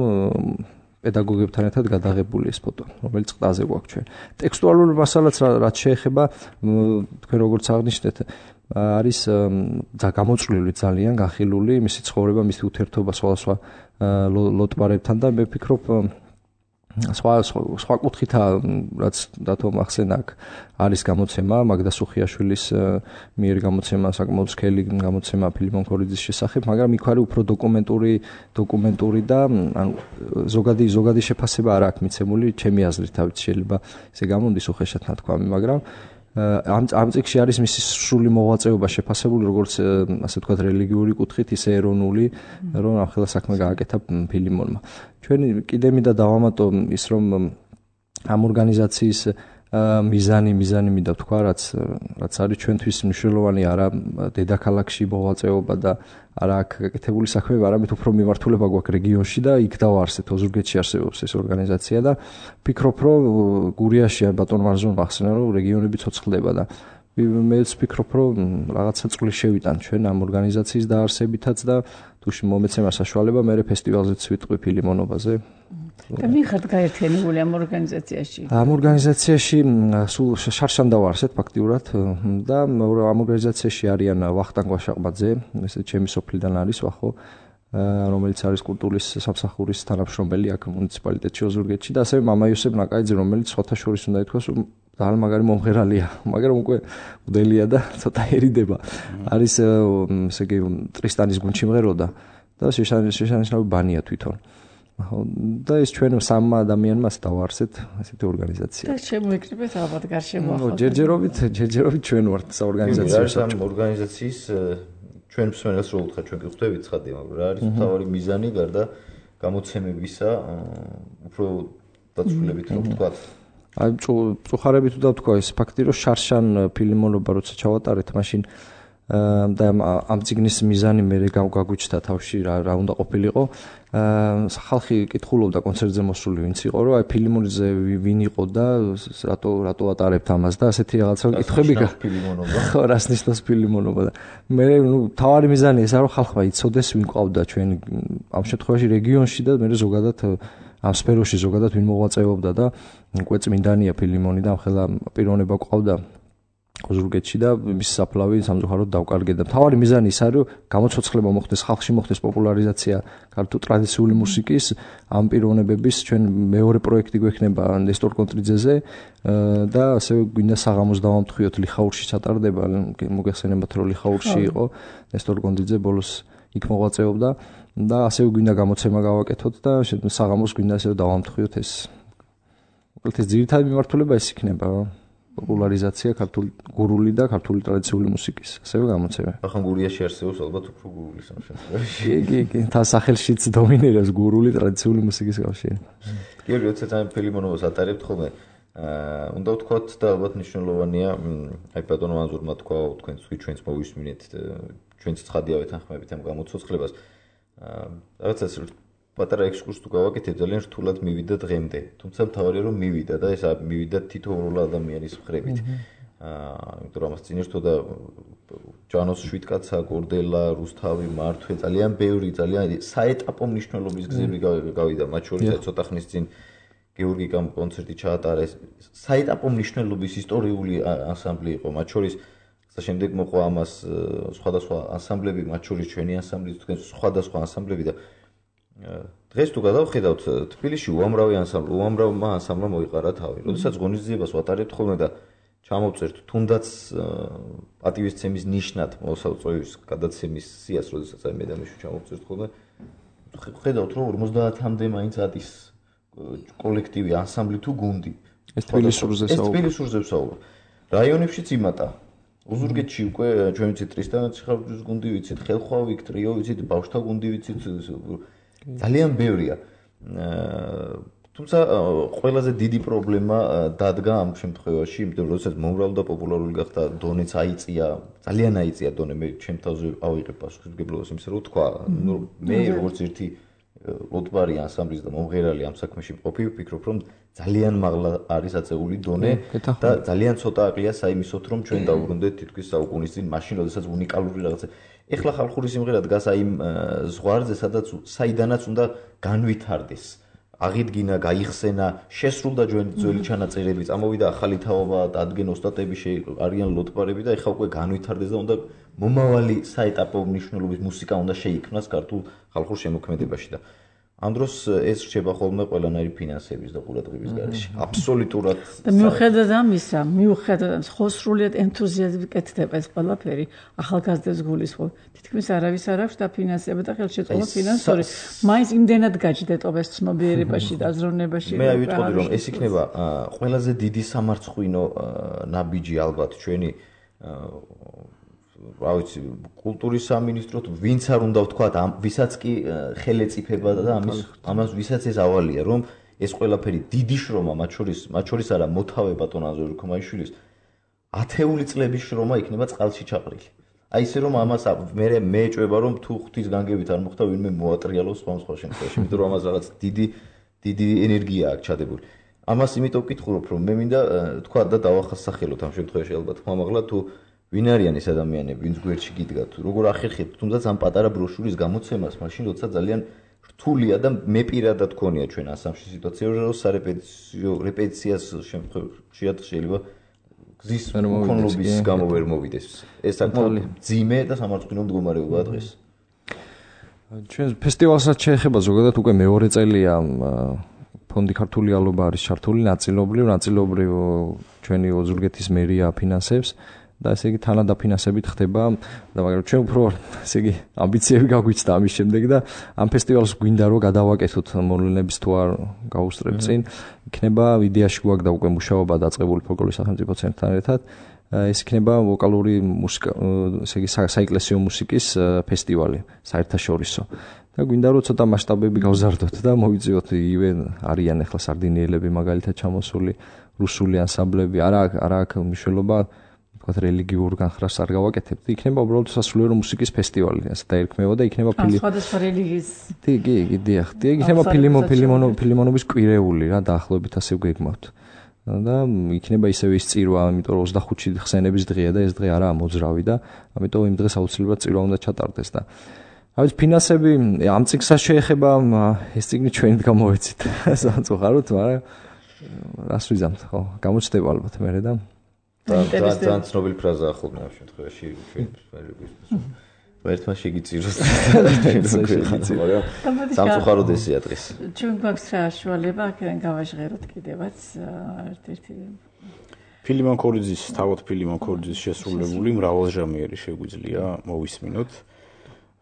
პედაგოგებთან ერთად გადაღებული ეს ფოტო, რომელიც ყდაზე გვაქვს ჩვენ. ტექსტუალური მასალაც რაც შეეხება თქვენ როგორც აღნიშნეთ არის გამოწვლილი ძალიან განხილული მისი ცხოვრება, მისი ურთიერთობა სხვადასხვა ლოტბარებთან და მე ვფიქრობ სხვა კუთხითა რაც დათო მახსენა აქ არის გამოცემა მაგდა სუხიაშვილის მიერ გამოცემა საკმაოდ სქელი გამოცემა ფილიმონ ქორიძის შესახებ, მაგრამ იქ არის უფრო დოკუმენტური და ზოგადი შეფასება არ აქვს მიცემული ჩემი აზრით, თავით შეიძლება ესე გამონდის უხეშად ნათქვამი, მაგრამ ამ წიგნში არის მისი სრული მოღვაწეობა შეფასებული როგორც ასე ვთქვათ რელიგიური კუთხით, ისე ეროვნული, რომ ამხელა საქმე გააკეთა ფილიმონმა. ჩვენ კიდე მინდა დავამატო ის, რომ ამ ორგანიზაციის მიზანი მინდა ვთქვა, რაც არის ჩვენთვის მნიშვნელოვანი არა დედაქალაქში მოღვაწეობა და არა აქ გაკეთებული საქმეები, არამედ უფრო მიმართულება გვაქვს რეგიონში და იქ დავარსეთ, ოზურგეთში არსებობს ეს ორგანიზაცია და ვფიქრობ, რომ გურიაში ბატონ მარზონ მახსენა, რომ რეგიონები ცოცხლდება და მეც ვფიქრობ, რომ რაღაცა წვლილი შევიტან ჩვენ ამ ორგანიზაციის დაარსებითაც და თუ მომეცემა საშუალება, მე ფესტივალზეც ვიტყვი ფილიმონობაზე. და ვინ ხართ გაერთიანებული ამ ორგანიზაციაში? ამ ორგანიზაციაში სულ შარშან დავარსეთ ფაქტიურად და ამ ორგანიზაციაში არიან ვახტანგ ვაშაყბაძე, ესე ჩემი სოფლიდან არის ვახო, რომელიც არის კულტურის სამსახურის თანამშრომელი აქ მუნიციპალიტეტში ოზურგეთში და ასევე მამა იოსებ ნაკაიძე, რომელიც სხვათა შორის უნდა ითქვას, რომ ძალიან მაგარი მომღერალია, მაგრამ უკვე მდელია და ცოტა ერიდება. არის ესე იგი ტრისტანის გუნდში მღეროდა და შეშანიშნავი ბანია თვითონ. და ეს ჩვენ სამმა ადამიანმა დავარსეთ ასეთი ორგანიზაცია. და შემოიკრიბეთ ალბათ გარშემო ახლა. ჯერჯერობით ჩვენ ვართ საორგანიზაციო. ამ ორგანიზაციის ჩვენ მსმენელს რო უთხრა, ჩვენ გიხვდებით ცხადია, მაგრამ რა არის მთავარი მიზანი გარდა გამოცემებისა, უფრო დაწვრილებით რომ ვთქვა. აი წუხარებით თუ დავთქვა ეს ფაქტი, რომ შარშან ფილიმონობა როცა ჩავატარეთ, მაშინ და ამ ციგნის მიზანი მე გაგვიჩნდა თავში რა უნდა ყოფილიყო. ხალხი კითხულობდა კონცერტზე მოსული ვინც იყო, რომ აი ფილიმონზე ვინ იყო და რატო ატარებთ ამას და ასეთი რაღაცა კითხვები ფილიმონობა. ხო, რას ნიშნავს ფილიმონობა და მე თავარი მიზანი ესაა, რომ ხალხმა იცოდეს ვინ ყავდა ჩვენ ამ შემთხვევაში რეგიონში და მე ზოგადად ამ სფეროში ზოგადად ვინ მოღვაწეობდა და უკვე წმინდანია ფილიმონი და ამხელა პიროვნება ყავდა ოზურგეთში და მის საფლავი სამწუხაროდ დავკარგე და მთავარი მიზანი ის არის, რომ გამოცოცხლება მოხდეს, ხალხში მოხდეს პოპულარიზაცია ქართულ ტრადიციული მუსიკის, ამ პიროვნებების ჩვენ მეორე პროექტი გვექნება ნესტორ კონტრიძეზე და ასევე გვინდა საღამოს დავამტხვიოთ ლიხაურში ჩატარდება, მოგეხსენებათ რომ ლიხაურში იყო ნესტორ კონტრიძე ბოლოს იქ მოღვაწეობდა და ასევე გვინდა გამოცემა გავაკეთოთ და საღამოს გვინდა ასევე დავამტხვიოთ ეს. უბრალოდ ეს ძირითადი მიმართულება ეს იქნება. პოპულარიზაცია ქართული გურული და ქართული ტრადიციული მუსიკის, ასევე გამოცემა. ახლა გურიაში არსებობს ალბათ უფრო გურული სამშობლოში. კი, თა სახელშიც დომინირებს გურული ტრადიციული მუსიკის კავშირი. გიორგი, როცა ამ ფილიმონობას ატარებთ ხოლმე, უნდა ვთქვათ და ალბათ მნიშვნელოვანია, აი ბატონო ანზურმა თქვა, თქვენ ჩვენც მოვისმინეთ, ჩვენც ცხადია ვეთანხმებით ამ გამოცოცხლებას. რაღაცა პატარა ექსკურსი თუ გავაკეთებ, ძალიან რთულად მივიდა დღემდე. თუმცა მთავარია რომ მივიდა და ეს მივიდა თითოეულ ადამიანის მხრებით. იმიტომ რომ ამას წინ ერთოდა ჯანოს შვიდკაცა, გორდელა, რუსთავი, მართვე, ძალიან ბევრი, ძალიან საეტაპო მნიშვნელობის გზები გავიდა, მათ შორის ცოტა ხნის წინ გეორგი კონცერტი ჩაატარეს. საეტაპო მნიშვნელობის ისტორიული ანსამბლი იყო, მათ შორის შემდეგ მოყვა ამას სხვადასხვა ანსამბლები, მათ შორის ჩვენი ანსამბლი, თქვენ სხვადასხვა ანსამბლები და დღეს თუ გადავხედავთ თბილისში უამრავმა ანსამბლმა მოიყარა თავი. როდესაც ღონისძიებას ვატარებთ ხოლმე და ჩამოვწერთ თუნდაც პატივისცემის ნიშნად მოსაწვევის გადაცემის სიას, როდესაც აი მე და მიშუ ჩამოვწერთ ხოლმე, ხედავთ რომ 50-მდე მაინც არის კოლექტივი, ანსამბლი თუ გუნდი. ეს თბილისურზე ვსაუბრობ. რაიონებშიც იმატა. ოზურგეთში უკვე ჩვენ ვიცით ტრისტანის ხალხის გუნდი ვიცით, ხელხვავი ტრიო ვიცით, ბავშთა გუნდი ვიცით, ძალიან ბევრია. თუმცა ყველაზე დიდი პრობლემა დადგა ამ შემთხვევაში, იმიტომ რომ როდესაც მომრავლ და პოპულარული გახდა, დონეც აიწია, ძალიან აიწია დონე, მე ჩემ თავზე ავიღებ პასუხისმგებლობას იმისა, რომ თქვა, მე როგორც ერთი ლოტბარი ანსამბლის და მომღერალი ამ საქმეში მყოფი, ვფიქრობ, რომ ძალიან მაღლა არის აწეული დონე და ძალიან ცოტა აყია საიმისოთ, რომ ჩვენ დავუბრუნდეთ თითქმის საუკუნის წინ, მაშინ, როდესაც უნიკალური რაღაცა. ეხლა ხალხური სიმღერა დგას აი იმ ზღვარზე, სადაც საიდანაც უნდა განვითარდეს. აღიდგინა, გაიხსენა, შესრულდა ძველი ჩანაწერები, წამოვიდა ახალი თაობა, დადგენ ოსტატები, არიან ლოტბარები და ეხლა უკვე განვითარდეს და უნდა მომავალი საეტაპო მნიშვნელობის მუსიკა უნდა შეიქმნას ქართულ ხალხურ შემოქმედებაში და ამ დროს ეს რჩება ხოლმე ყველანაირი ფინანსების და ყურადღების გარეშე. აბსოლუტურად. და მიუხედავად ამისა, მიუხედავად ხოსრულიად ენთუზიაზმით კეთდება ეს ყველაფერი, ახალგაზრდებს გულისხმობ. თითქმის არავის არ აქვს დაფინანსება და ხელშეწყობა ფინანსური. მაინც იმდენად გაჯდეტობა ეს ცნობიერებაში და აზროვნებაში. მე ვიტყოდი რომ ეს იქნება ყველაზე დიდი სამარცხვინო ნაბიჯი ალბათ ჩვენი რა ვიცი, კულტურის სამინისტრო თუ ვინც არ უნდა ვთქვა, ვისაც კი ხელეწიფება და ამას ვისაც ეს ავალია, რომ ეს ყველაფერი დიდი შრომა, მათ შორის არა მოთავე ბატონ აზორ ქომაიშვილის ათეული წლების შრომა იქნება წყალში ჩაყრილი. აი ესე რომ ამას მე ეჭვება რომ თუ ღვთის განგებით არ მოხდა ვინმე მოატრიალოს სხვა შემთხვევაში, იმიტომ რომ ამას რაღაც დიდი ენერგია აქვს ჩადებული. ამას იმიტომ ვკითხულობ, რომ მე მინდა თქვა და დავახასახელოთ ამ შემთხვევაში ალბათ ხმამაღლა თუ ვინ არიან ეს ადამიანები, ვინც გვერდში გიდგათ, როგორ ახერხებთ თუნდაც ამ პატარა ბროშურის გამოცემას, მაშინ როცა ძალიან რთულია და მე პირადად გქონია ჩვენ ასამში სიტუაცია, რომ სარეპეტიციო რეპეტიციას შეიძლება გზის მქონლობის გამო ვერ მოვიდეს. ეს საკმაოდ ძიმე და სამარცხვინო მდგომარეობაა დღეს. ჩვენ ფესტივალსაც შეეხება ზოგადად უკვე მეორე წელია ფონდი ქართული ალობა არის ჩართული ნაწილობრივ ჩვენი ოზურგეთის მერია ფინანსებს და ესე იგი თანადაფინანსებით ხდება და მაგრამ ჩვენ უფრო ესე იგი ამბიციები გაგვიჩნდა ამის შემდეგ და ამ ფესტივალს გვინდა რომ გადავაკეთოთ მოვლენების თუ არ გაუსწრებ წინ იქნება იდეაში გვაქვს და უკვე მუშაობა დაწყებული ფოლკლორის სახელმწიფო ცენტრთან ერთად ეს იქნება ვოკალური მუსიკა ესე იგი საეკლესიო მუსიკის ფესტივალი საერთაშორისო და გვინდა რომ ცოტა მასშტაბები გავზარდოთ და მოვიწიოთ იგივე არიან ახლა სარდინიელები მაგალითად ჩამოსული რუსული ანსამბლები არა აქვს მნიშვნელობა თქვათ რელიგიურ განხრას არ გავაკეთებთ იქნება უბრალოდ სასულიერო მუსიკის ფესტივალი ასე დაერქმევა და იქნება სხვადასხვა რელიგიის დიახ იქნება ფილიმონობის კვირეული რა დაახლოებით ასე ვგეგმავთ და იქნება ისევ ის წირვა იმიტომ რომ 25-ში ხსენების დღეა და ეს დღე არაა მოძრავი და ამიტომ იმ დღეს აუცილებლად წირვა უნდა ჩატარდეს და აი ფინანსები ამ წიგნსაც შეეხება ეს წიგნი ჩვენით გამოვეცით სამწუხაროდ მაგრამ რას ვიზამთ ხო გამოჩნდება ალბათ მერე და ძალიან ცნობილი ფრაზაა ხოლმე ამ შემთხვევაში ერთმა შეგიწიროს სამწუხაროდ ესეა დღეს ჩვენ გვაქვს საშუალება აქედან გავაჟღეროთ კიდევაც ერთ-ერთი ფილიმონ ქორიძის თავად ფილიმონ ქორიძის შესრულებული მრავალჟამიერი შეგვიძლია მოვისმინოთ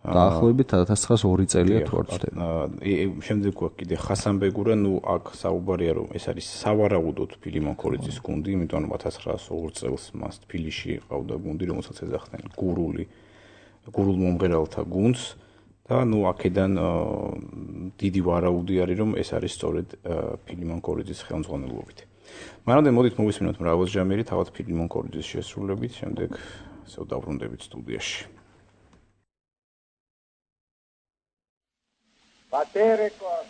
დაახლოებით 1902 წელია თუ არ ვცდები. შემდეგ გვაქვს კიდე ხასანბეგურა, ნუ აქ საუბარია რომ ეს არის სავარაუდოდ ფილიმონ ქორიძის გუნდი, იმიტომ რომ 1902 წელს მას თბილისში ყავდა გუნდი, რომელსაც ეძახდნენ გურულ მომღერალთა გუნდს და ნუ აქედან დიდი ვარაუდი არის რომ ეს არის სწორედ ფილიმონ ქორიძის ხელმძღვანელობით. მანამდე მოდით მოვისმინოთ მრავალჟამიერი თავად ფილიმონ ქორიძის შესრულებით, შემდეგ ისევ დავბრუნდებით სტუდიაში. Paterekos.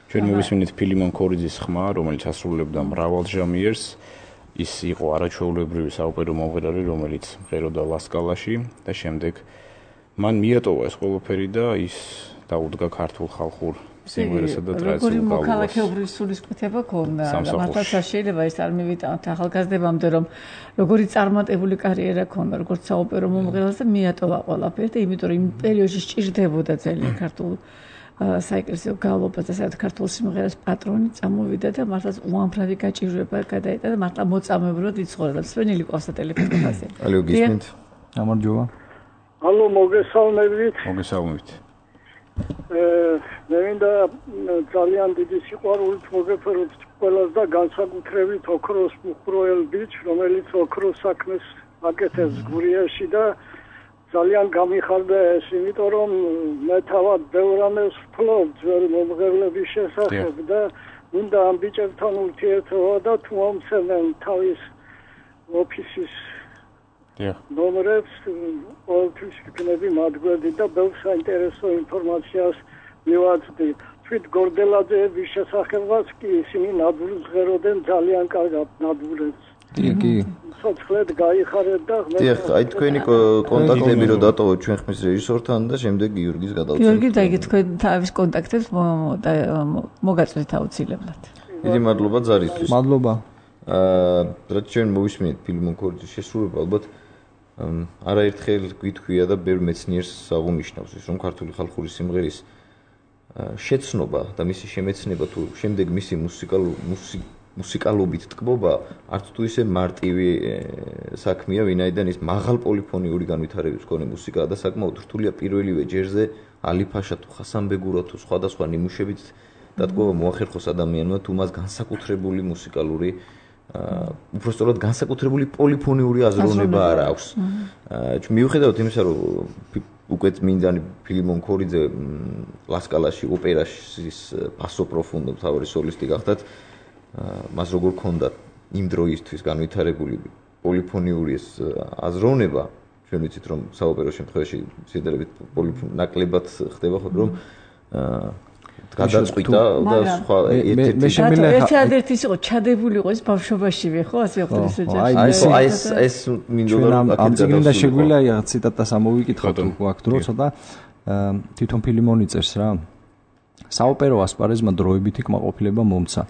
ჩვენ მოვისმინეთ ფილიმონ ქორიძის ხმა, რომელიც ასრულებდა მრავალ ჟანრს. ის იყო არაჩვეულებრივი საოპერო მომღერალი, რომელიც მღეროდა ლასკალაში და შემდეგ მან მიატოვა ეს ყველაფერი და ის დაუდგა ქართულ ხალხურ სიმღერასა და ტრადიციულ გავლენას. როგორი მოქალაქეობრივი სულისკვეთება ქონდა და მართლაც შეიძლება ის არ მივიტანოთ ახალგაზრდებამდე, რომ როგორი წარმატებული კარიერა ქონდა, როგორც საოპერო მომღერალს და მიატოვა ყველაფერი და იმიტომ რომ იმ პერიოდში სჭირდებოდა ძალიან ქართულ საეკლესიო გალობას და საერთოდ ქართულ სიმღერას პატრონი წამოვიდა და მართლაც უამრავი გაჭირვება გადაიტანა და მართლა მოწამებრად იცხოვრა. სვენილი ყავს ტელეფონზე. ალო გისმენთ? გამარჯობა. ალო მოგესალმებით. მოგესალმებით. მე მინდა ძალიან დიდი სიყვარულით მოგეფეროთ ყველას და განსაკუთრებით ოქროს მუხროელ ბიჭ, რომელიც ოქროს საქმეს აკეთებს გურიაში და ძალიან გამიხარდა ეს, იმიტომ რომ მე თავად ბევრ რამეს ვფლობ ძველი მომღერლების შესახებ და უნდა ამ ბიჭებთან ურთიერთობა და თუ მომცემენ თავის ოფისის ნომრებს, ყოველთვის ვიქნები მათ გვერდით და ბევრ საინტერესო ინფორმაციას მივაწვდი. თვით გორდელაძეების შესახებაც კი ისინი ნადვურს ღეროდნენ ძალიან კარგად ნადვურებს. კი. სოციალურად გაიხარეთ და დიახ, აი თქვენი კონტაქტები რო დატოვოთ ჩვენ ხმის რეჟისორთან და შემდეგ გიორგის გადავწყვეტ. გიორგი და იგი თქვენ თავის კონტაქტებს მოგაწვეთ აუცილებლად. დიდი მადლობა ზარისთვის. მადლობა. რაც ჩვენ მოვისმინეთ ფილმონ ქორიძის შესრულება, ალბათ არაერთხელ გვითქვია და ბევრ მეცნიერს აღუნიშნავს ის, რომ ქართული ხალხური სიმღერის შეცნობა და მისი შემეცნება თუ შემდეგ მისი მუსიკალობით ტკბობა არც თუ ისე მარტივი საქმეა, ვინაიდან ის მაღალ პოლიფონიური განვითარების მქონე მუსიკაა და საკმაოდ რთულია პირველივე ჯერზე ალიფაშა თუ ხასანბეგურა თუ სხვადასხვა ნიმუშებით დატკბობა მოახერხოს ადამიანმა თუ მას განსაკუთრებული მუსიკალური უბრალოდ განსაკუთრებული პოლიფონიური აზროვნება არ აქვს. მიუხედავად იმისა, რომ უკვე წმინდანი ფილიმონ ქორიძე ლასკალაში ოპერაშის ბასო პროფუნდო მთავარი სოლისტი გახდათ, მას როგორ ქონდა იმ დროისთვის განვითარებული პოლიფონიური აზროვნება, ჩვენ ვიცით რომ საოპერო შემთხვევაში შედარებით ნაკლებად ხდება ხო რომ გადაწყვიტა და სხვა ერთ-ერთი ის იყო ჩადებული იყო ეს ბავშვობაშივე ხო ასე ვხდეს ოჯახში ეს მინდოდა ამ წიგნიდან შეგვიძლია ციტატას ამოვიკითხოთ აქ დრო ცოტა თვითონ ფილიმონი წერს რა საოპერო ასპარეზმა დროებითი კმაყოფილება მომცა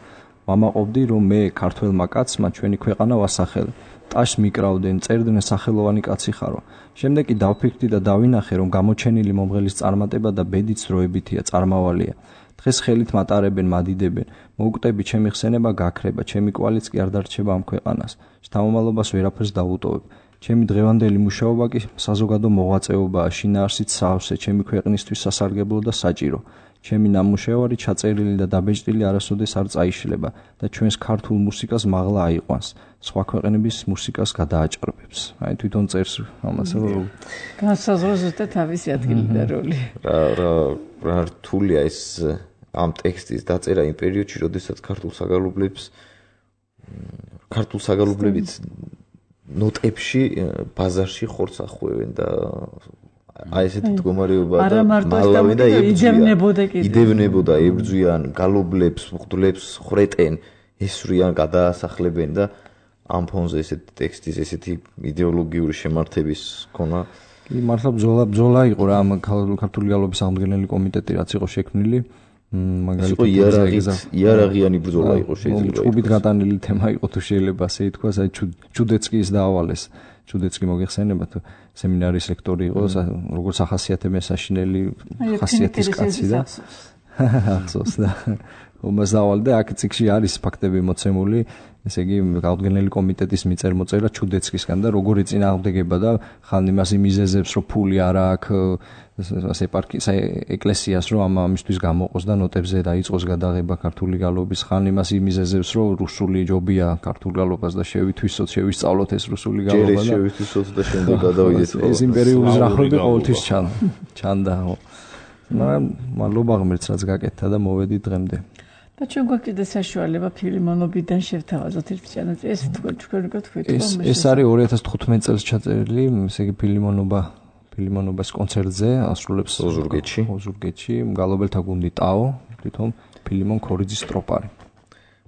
ვამაყობდი რომ მე ქართველმა კაცმა ჩვენი ქვეყანა ვასახელე ტაშს მიკრავდნენ წერდნენ სახელოვანი კაცი ხარო შემდეგ კი დავფიქრდი და დავინახე რომ გამოჩენილი მომღერლის წარმატება და ბედიც დროებითია წარმავალია დღეს ხელით მატარებენ მადიდებენ მოუკვდები ჩემი ხსენება გაქრება ჩემი კვალიც კი არ დარჩება ამ ქვეყანას შთამომალობას ვერაფერს დავუტოვებ ჩემი დღევანდელი მუშაობა კი საზოგადო მოღვაწეობაა შინაარსით სავსე ჩემი ქვეყნისთვის სასარგებლო და საჭირო ჩემი ნამუშევარი ჩაწერილი და დაბეჭდილი არასოდეს არ წაიშლება და ჩვენს ქართულ მუსიკას მაღლა აიყვანს სხვა ქვეყნების მუსიკას გადააჭრბებს აი თვითონ წერს ამას რომ განსაზღვროს და თავისი ადგილი და როლი რა რთულია ეს ამ ტექსტის დაწერა იმ პერიოდში როდესაც ქართულ საგალობლებით ნოტებში ბაზარში ხორცს ახვევენ და აი ესეთი მდგომარეობა და მალავენ და იდევნებოდა, ებრძვიან, გალობლებს, მღვდლებს ხრეტენ, ესვრიან, გადაასახლებენ და ამ ფონზე ესეთი ტექსტის, ესეთი იდეოლოგიური შემართების ქონა. კი, მართლა ბრძოლა იყო რა ამ ქართული გალობის აღმდგენელი კომიტეტი რაც იყო შექმნილი. მაგალითად იარაღიანი ბრძოლა იყო შეიძლება. ჭუბით გატანილი თემა იყო თუ შეიძლება ასე ითქვას, აი ჩუდეცკის დაავალეს. ჩუდეცკი მოგეხსენება თუ სემინარის ლექტორი იყო, როგორც ახასიათებენ საშინელი ხასიათის კაცი და ახსოვს და ომას დავალ და აქ ციკში არის ფაქტები მოცემული, ესე იგი აღდგენელი კომიტეტის მიწერ-მოწერა ჩუდეცკისგან და როგორი წინააღმდეგება და ხან იმას იმიზეზებს, რომ ფული არ აქვს ასე ეპარქიის ეკლესიას რომ ამისთვის გამოყოს და ნოტებზე დაიწყოს გადაღება ქართული გალობის, ხან იმას იმიზეზებს, რომ რუსული ჯობია ქართულ გალობას და შევისწავლოთ ეს რუსული გალობა და შევისწავლოთ და შემდეგ გადავიდეთ. ეს იმპერიული ზრახვები ყოველთვის ჩანდა. მაგრამ მადლობა ღმერთს რაც გაკეთდა და მოვედით დღემდე. და ჩვენ გვაქვს საშუალება ფილიმონობიდან შევთავაზოთ ერთ ჩანაწერი, ეს თქვენ გქონდეთ. ეს არის 2015 წელს ჩაწერილი, ესე იგი ფილიმონობას კონცერტზე ასრულებს ოზურგეთში გალობელთა გუნდი ტაო, თვითონ ფილიმონ ქორიძის ტროპარი.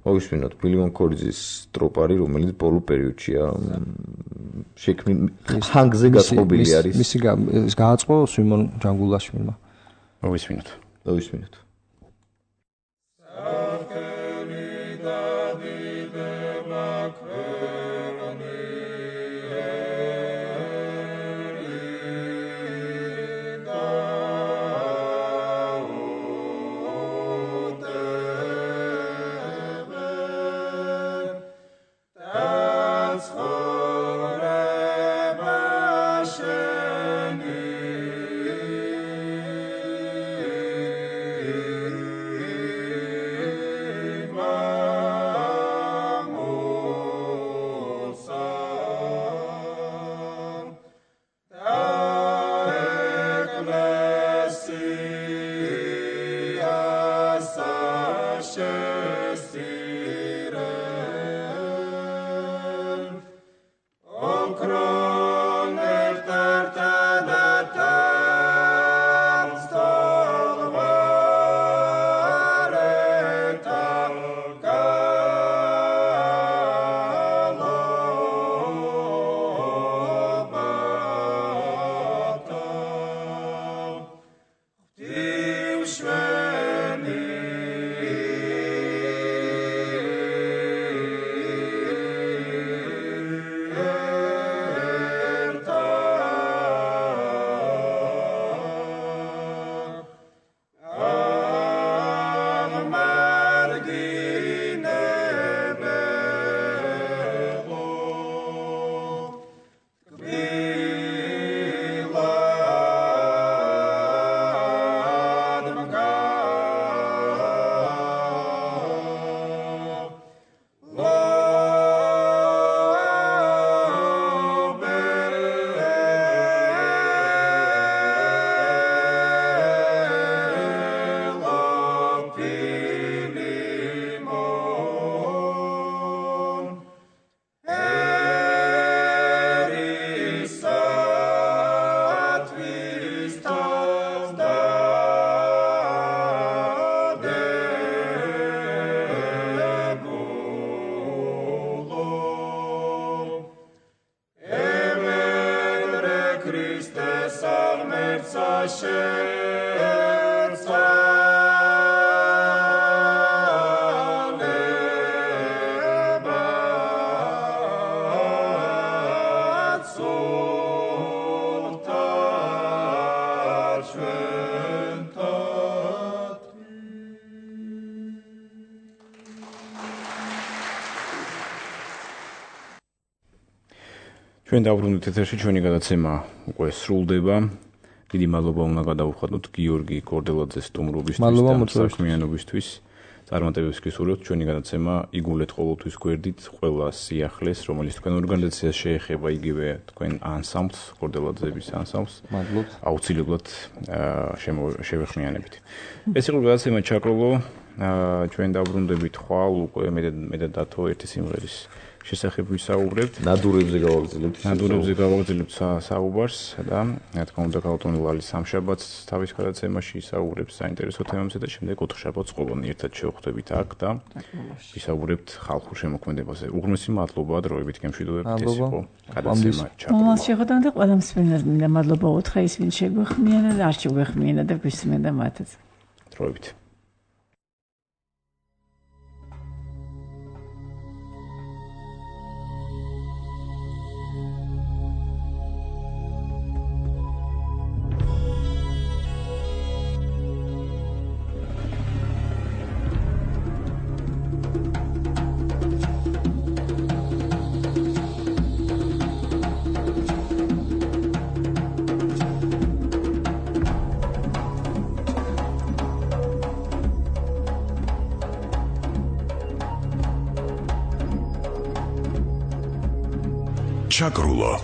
მოგისმინოთ ფილიმონ ქორიძის ტროპარი, რომელიც ბოლო პერიოდშია შექმნილი ჰანგზე გაწყობილი არის. მისი გააწყო სიმონ ჯანგულაშვილმა. მოგისმინოთ. ჩვენ დავბრუნდით ეთერში, ჩვენი გადაცემა უკვე სრულდება. დიდი მადლობა უნდა გადავუხადოთ გიორგი კორდელაძეს სტუმრობისთვის და საქმიანობისთვის. წარმატებებს გისურვებთ. ჩვენი გადაცემა იგულეთ ყოველთვის გვერდით ყველა სიახლეს, რომელიც თქვენ ორგანიზაციას შეეხება, იგივე თქვენ ანსამბლს, კორდელაძეების ანსამბლს. მადლობთ. აუცილებლად შევეხმიანებით. ეს იყო გადაცემა ჩაკროლო. ჩვენ დავბრუნდებით ხვალ უკვე მე და დათო ერთი სიმღერის შესახებ ვისაუბრებთ. ნადურებზე გავაგრძელებთ საუბარს და რა თქმა უნდა გაუტონი ლალის სამშაბათს თავის გადაცემაში ისაუბრებს საინტერესო თემებზე და შემდეგ ოთხშაბათს ყოველდღე ერთად შევხვდებით აქ და ვისაუბრებთ ხალხურ შემოქმედებაზე. უღრმესი მადლობა დროებით გემშვიდობებით ეს იყო გადაცემა ჩატარდა. მომავალ შეხვედრამდე ყველა მსმენელს მინდა მადლობა უთხრა ის ვინ შეგვეხმიანა და არ შეგვეხმიანა და გვისმენდა მათაც. დროებით. Chakrulo.